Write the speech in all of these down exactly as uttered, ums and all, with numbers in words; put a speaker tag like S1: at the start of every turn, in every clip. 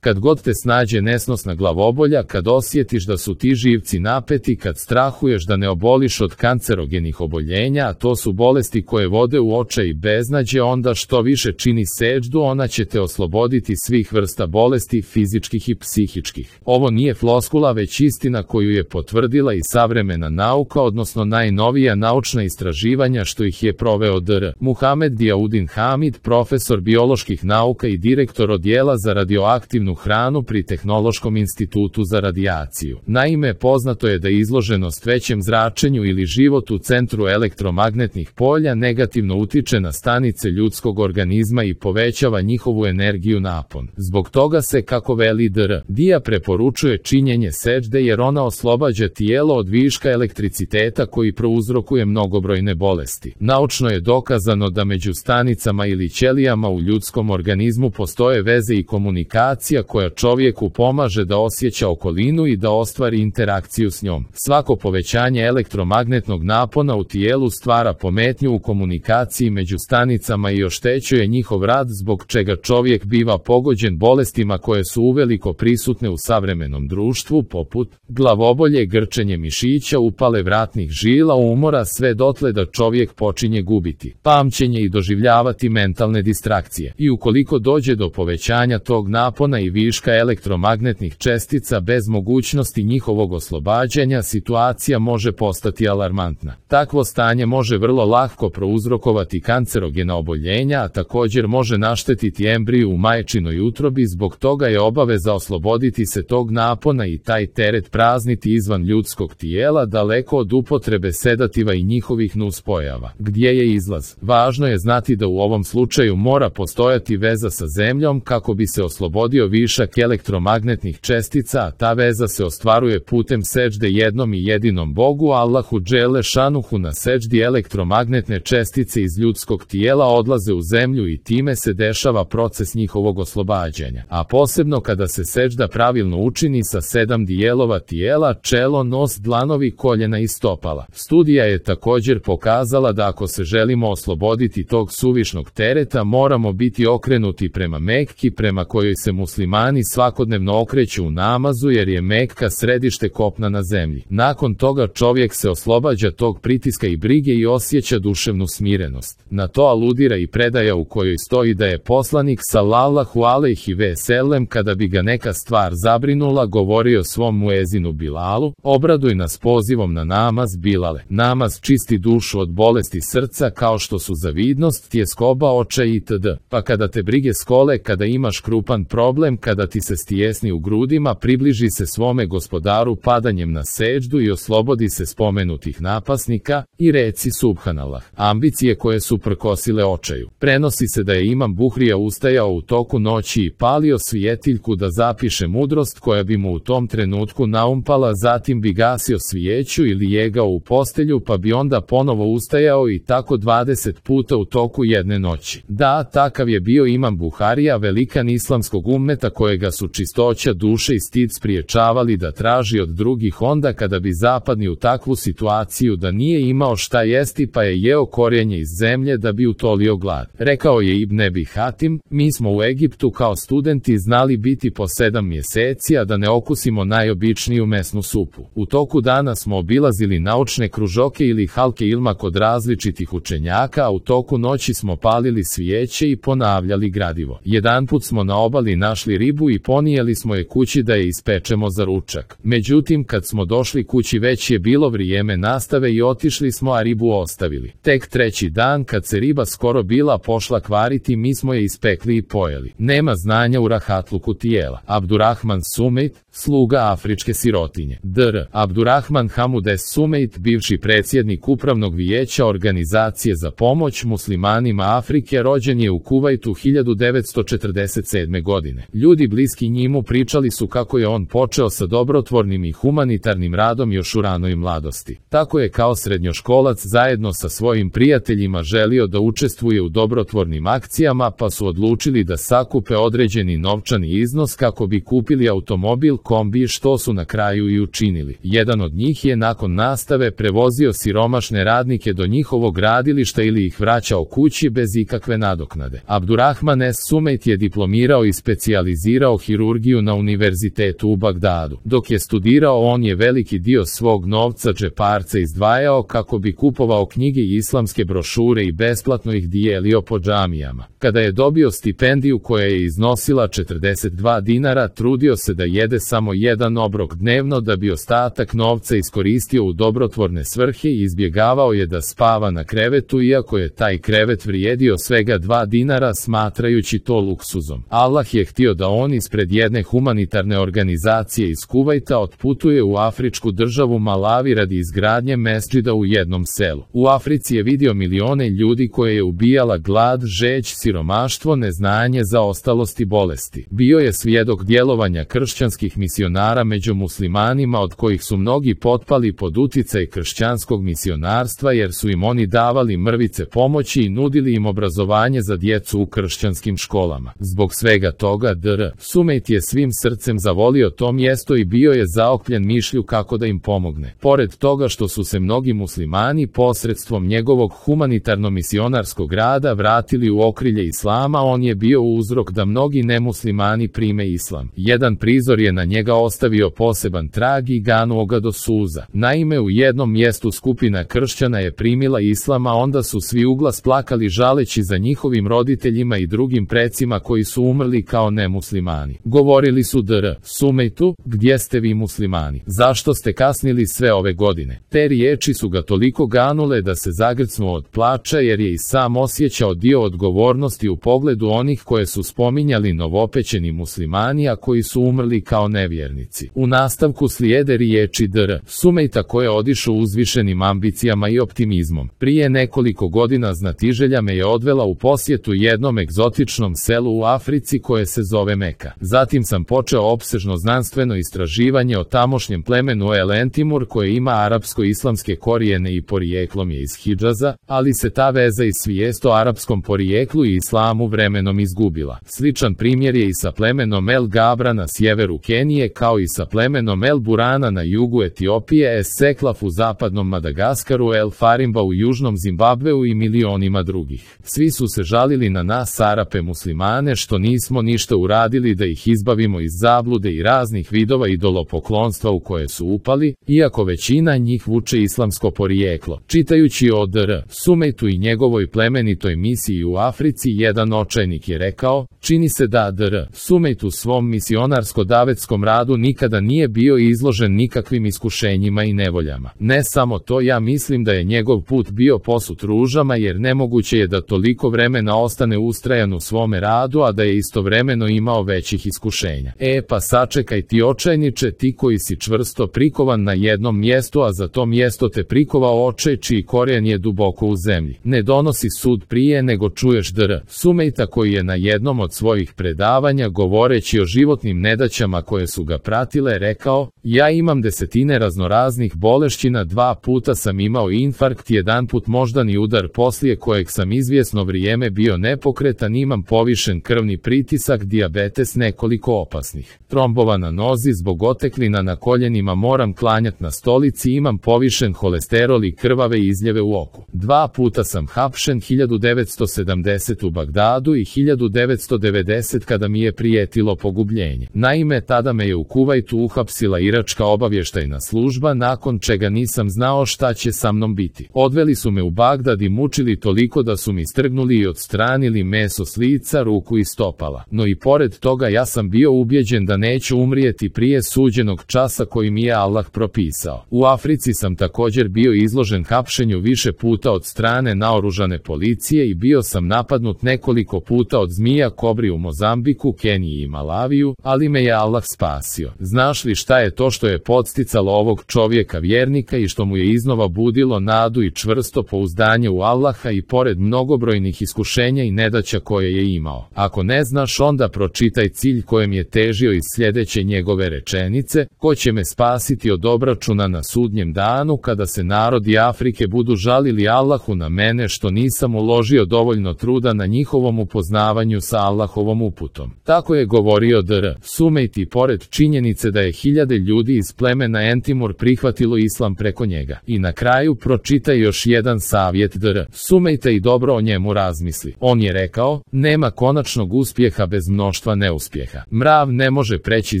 S1: Kad god te snađe nesnosna glavobolja, kad osjetiš da su ti živci napeti, kad strahuješ da ne oboliš od kancerogenih oboljenja, a to su bolesti koje vode u očaj i beznađe, onda što više čini seđdu, ona će te osloboditi svih vrsta bolesti, fizičkih i psihičkih. Ovo nije floskula, već istina koju je potvrdila i savremena nauka, odnosno najnovija naučna istraživanja što ih je proveo dr Muhamed Dijaudin Hamid, profesor bioloških nauka i direktor odjela za radioaktivnu hranu pri Tehnološkom institutu za radijaciju. Naime, poznato je da izloženost većem zračenju ili život u centru elektromagnetnih polja negativno utiče na stanice ljudskog organizma i povećava njihovu energiju napon. Zbog toga se, kako veli dr Dija, preporučuje činjenje seđde jer ona oslobađa tijelo od viška elektriciteta koji prouzrokuje mnogobrojne bolesti. Naučno je dokazano da među stanicama ili ćelijama u ljudskom organizmu postoje veze i komunikacija koja čovjeku pomaže da osjeća okolinu i da ostvari interakciju s njom. Svako povećanje elektromagnetnog napona u tijelu stvara pometnju u komunikaciji među stanicama i oštećuje njihov rad, zbog čega čovjek biva pogođen bolestima koje su uveliko prisutne u savremenom društvu, poput glavobolje, grčenje mišića, upale vratnih žila, umora, sve dotle da čovjek počinje gubiti pamćenje i doživljavati mentalne distrakcije. I ukoliko dođe do povećanja tog napona i viška elektromagnetnih čestica bez mogućnosti njihovog oslobađanja, situacija može postati alarmantna. Takvo stanje može vrlo lako prouzrokovati kancerogena oboljenja, a također može naštetiti embriju u majčinoj utrobi. Zbog toga je obaveza osloboditi se tog napona i taj teret prazniti izvan ljudskog tijela, daleko od upotrebe sedativa i njihovih nuspojava. Gdje je izlaz? Važno je znati da u ovom slučaju mora postojati veza sa zemljom kako bi se oslobodio višak elektromagnetnih čestica, a ta veza se ostvaruje putem seđde jednom i jedinom Bogu Allahu dželle šanuhu. Na seđdi elektromagnetne čestice iz ljudskog tijela odlaze u zemlju i time se dešava proces njihovog oslobađanja. A posebno kada se seđda pravilno učini sa sedam dijelova tijela: čelo, nos, dlanovi, koljena i stopala. Studija je također pokazala da ako se želimo osloboditi tog suvišnog tereta, moramo biti okrenuti prema Mekki, prema kojoj se muslimani svakodnevno okreću u namazu, jer je Mekka središte kopna na zemlji. Nakon toga čovjek se oslobađa tog pritiska i brige i osjeća duševnu smirenost. Na to aludira i predaja u kojoj stoji da je poslanik sallallahu alejhi ve sellem, kada bi ga neka stvar zabrinula, govorio svom muezinu Bilalu: obraduj nas pozivom na namaz, Bilale. Namaz čisti dušu od bolesti srca kao što su zavidnost, tjeskoba oča itd. Pa kada te brige skole, kada imaš krupan problem, kada ti se stijesni u grudima, približi se svome gospodaru padanjem na seđdu i oslobodi se spomenutih napasnika i reci subhanallah. Ambicije koje su prkosile očaju. Prenosi se da je Imam Buhrija ustajao u toku noći i palio svijetiljku da zapiše mudrost koja bi mu u tom trenutku naumpala, zatim bi gasio svijeću ili jegao u postelju, pa bi onda ponovo ustajao i tako dvadeset puta u toku jedne noći. Da, takav je bio Imam Buharija, velikan islamskog ummeta kojega su čistoća duše i stid spriječavali da traži od drugih onda kada bi zapadni u takvu situaciju da nije imao šta jesti, pa je jeo korijenje iz zemlje da bi utolio glad. Rekao je Ibn Ebi Hatim: mi smo u Egiptu kao studenti znali biti po sedam mjeseci, a da ne okusimo najobičniju mesnu supu. U toku dana smo obilazili naučne kružoke ili halke ilma kod različitih učenjaka, a u toku noći smo palili svijeće i ponavljali gradivo. Jedanput smo na obali našli ribu i ponijeli smo je kući da je ispečemo za ručak. Međutim, kad smo došli kući već je bilo vrijeme nastave i otišli smo, a ribu ostavili. Tek treći dan, kad se riba skoro bila pošla kvariti, mi smo je ispekli i pojeli. Nema znanja u rahatluku tijela. Abdurrahman Sumejt, sluga afričke sirotinje. dr Abdurrahman Hamud es Sumejt, bivši predsjednik upravnog vijeća Organizacije za pomoć muslimanima Afrike, rođen je u Kuvajtu hiljadu devetsto četrdeset sedme. godine. Ljudi bliski njemu pričali su kako je on počeo sa dobrotvornim i humanitarnim radom još u ranoj mladosti. Tako je kao srednjoškolac zajedno sa svojim prijateljima želio da učestvuje u dobrotvornim akcijama, pa su odlučili da sakupe određeni novčani iznos kako bi kupili automobil kombi, što su na kraju i učinili. Jedan od njih je nakon nastave prevozio siromašne radnike do njihovog gradilišta ili ih vraćao kući bez ikakve nadoknade. Abdurrahman es Sumejt je diplomirao i specijalizirao specijalizirao hirurgiju na univerzitetu u Bagdadu. Dok je studirao, on je veliki dio svog novca džeparca izdvajao kako bi kupovao knjige i islamske brošure i besplatno ih dijelio po džamijama. Kada je dobio stipendiju koja je iznosila četrdeset dva dinara, trudio se da jede samo jedan obrok dnevno da bi ostatak novca iskoristio u dobrotvorne svrhe i izbjegavao je da spava na krevetu, iako je taj krevet vrijedio svega dva dinara, smatrajući to luksuzom. Allah je htio da on ispred jedne humanitarne organizacije iz Kuvajta otputuje u afričku državu Malavi radi izgradnje mesdžida u jednom selu. U Africi je vidio milione ljudi koje je ubijala glad, žeđ, siromaštvo, neznanje, zaostalost i bolesti. Bio je svjedok djelovanja kršćanskih misionara među muslimanima, od kojih su mnogi potpali pod uticaj kršćanskog misionarstva jer su im oni davali mrvice pomoći i nudili im obrazovanje za djecu u kršćanskim školama. Zbog svega toga dr. Sumejt je svim srcem zavolio to mjesto i bio je zaokupljen mišlju kako da im pomogne. Pored toga što su se mnogi muslimani posredstvom njegovog humanitarno-misionarskog rada vratili u okrilje islama, on je bio uzrok da mnogi nemuslimani prime islam. Jedan prizor je na njega ostavio poseban trag i ganuo ga do suza. Naime, u jednom mjestu skupina kršćana je primila islam, a onda su svi uglas plakali žaleći za njihovim roditeljima i drugim precima koji su umrli kao nemuslimani. Govorili su dr. Sumejtu, gdje ste vi muslimani? Zašto ste kasnili sve ove godine? Te riječi su ga toliko ganule da se zagrcnuo od plača jer je i sam osjećao dio odgovornosti u pogledu onih koje su spominjali novopečeni muslimani, a koji su umrli kao nevjernici. U nastavku slijede riječi dr. Sumejta koje je odišao uzvišenim ambicijama i optimizmom. Prije nekoliko godina znatiželja me je odvela u posjetu jednom egzotičnom selu u Africi koje se zove Meka. Zatim sam počeo opsežno znanstveno istraživanje o tamošnjem plemenu El Entimur koje ima arapsko-islamske korijene i porijeklom je iz Hidžaza, ali se ta veza i svijest o arapskom porijeklu i islamu vremenom izgubila. Sličan primjer je i sa plemenom El Gabra na sjeveru Kenije, kao i sa plemenom El Burana na jugu Etiopije, Es Seklaf u zapadnom Madagaskaru, El Farimba u južnom Zimbabveu i milionima drugih. Svi su se žalili na nas Arape muslimane što nismo ništa uradili da ih izbavimo iz zablude i raznih vidova idolopoklonstva u koje su upali, iako većina njih vuče islamsko porijeklo. Čitajući o dr. Sumejtu i njegovoj plemenitoj misiji u Africi, jedan očajnik je rekao: čini se da dr. Sumejt u svom misionarsko-davetskom radu nikada nije bio izložen nikakvim iskušenjima i nevoljama. Ne samo to, ja mislim da je njegov put bio posut ružama, jer nemoguće je da toliko vremena ostane ustrajan u svome radu, a da je istovremeno imao većih iskušenja. E pa sačekaj ti očajniče, ti koji si čvrsto prikovan na jednom mjestu, a za to mjesto te prikovao očaj čiji korijen je duboko u zemlji. Ne donosi sud prije nego čuješ dr. Sumejta koji je na jednom od svojih predavanja, govoreći o životnim nedaćama koje su ga pratile, rekao: ja imam desetine raznoraznih bolešćina, dva puta sam imao infarkt, jedan put moždani udar poslije kojeg sam izvjesno vrijeme bio nepokretan, imam povišen krvni pritisak, dijabetes, nekoliko opasnih trombova na nozi, zbog oteklina na koljenima moram klanjat na stolici, imam povišen holesterol i krvave izljeve u oku. Dva puta sam hapšen, hiljadu devetsto sedamdeset u Bagdadu i hiljadu devetsto devedeset kada mi je prijetilo pogubljenje. Naime, tada me je u Kuvajtu uhapsila iračka obavještajna služba, nakon čega nisam znao šta će sa mnom biti. Odveli su me u Bagdad i mučili toliko da su mi strgnuli i odstranili meso s lica, ruku i stopala. No i pored toga ja sam bio ubjeđen da neću umrijeti prije suđenog časa koji mi je Allah propisao. U Africi sam također bio izložen hapšenju više puta od strane naoružane policije i bio sam napadnut nekoliko puta od zmija kobri u Mozambiku, Keniji i Malaviju, ali me je Allah spasio. Znaš li šta je to što je podsticalo ovog čovjeka vjernika i što mu je iznova budilo nadu i čvrsto pouzdanje u Allaha i pored mnogobrojnih iskušenja i nedaća koje je imao? Ako ne znaš, onda pročitaj cilj kojem je težio iz sljedeće njegove rečenice: ko će me spasiti od obračuna na sudnjem danu, kada se narodi Afrike budu žalili Allahu na mene što nisam uložio dovoljno truda na njihovom upoznavanju sa Allahovom uputom. Tako je govorio dr. Sumejt i pored činjenice da je hiljade ljudi iz plemena Entimur prihvatilo islam preko njega. I na kraju pročitaj još jedan savjet dr. Sumejta i dobro o njemu razmisli. On je rekao: nema konačnog uspjeha bez mnoštva mnoštva neuspjeha. Mrav ne može preći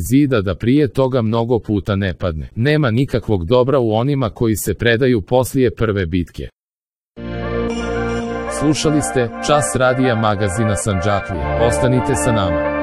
S1: zida da prije toga mnogo puta ne padne. Nema nikakvog dobra u onima koji se predaju poslije prve bitke. Slušali ste Čas radija magazina Sandžaklija. Ostanite sa nama.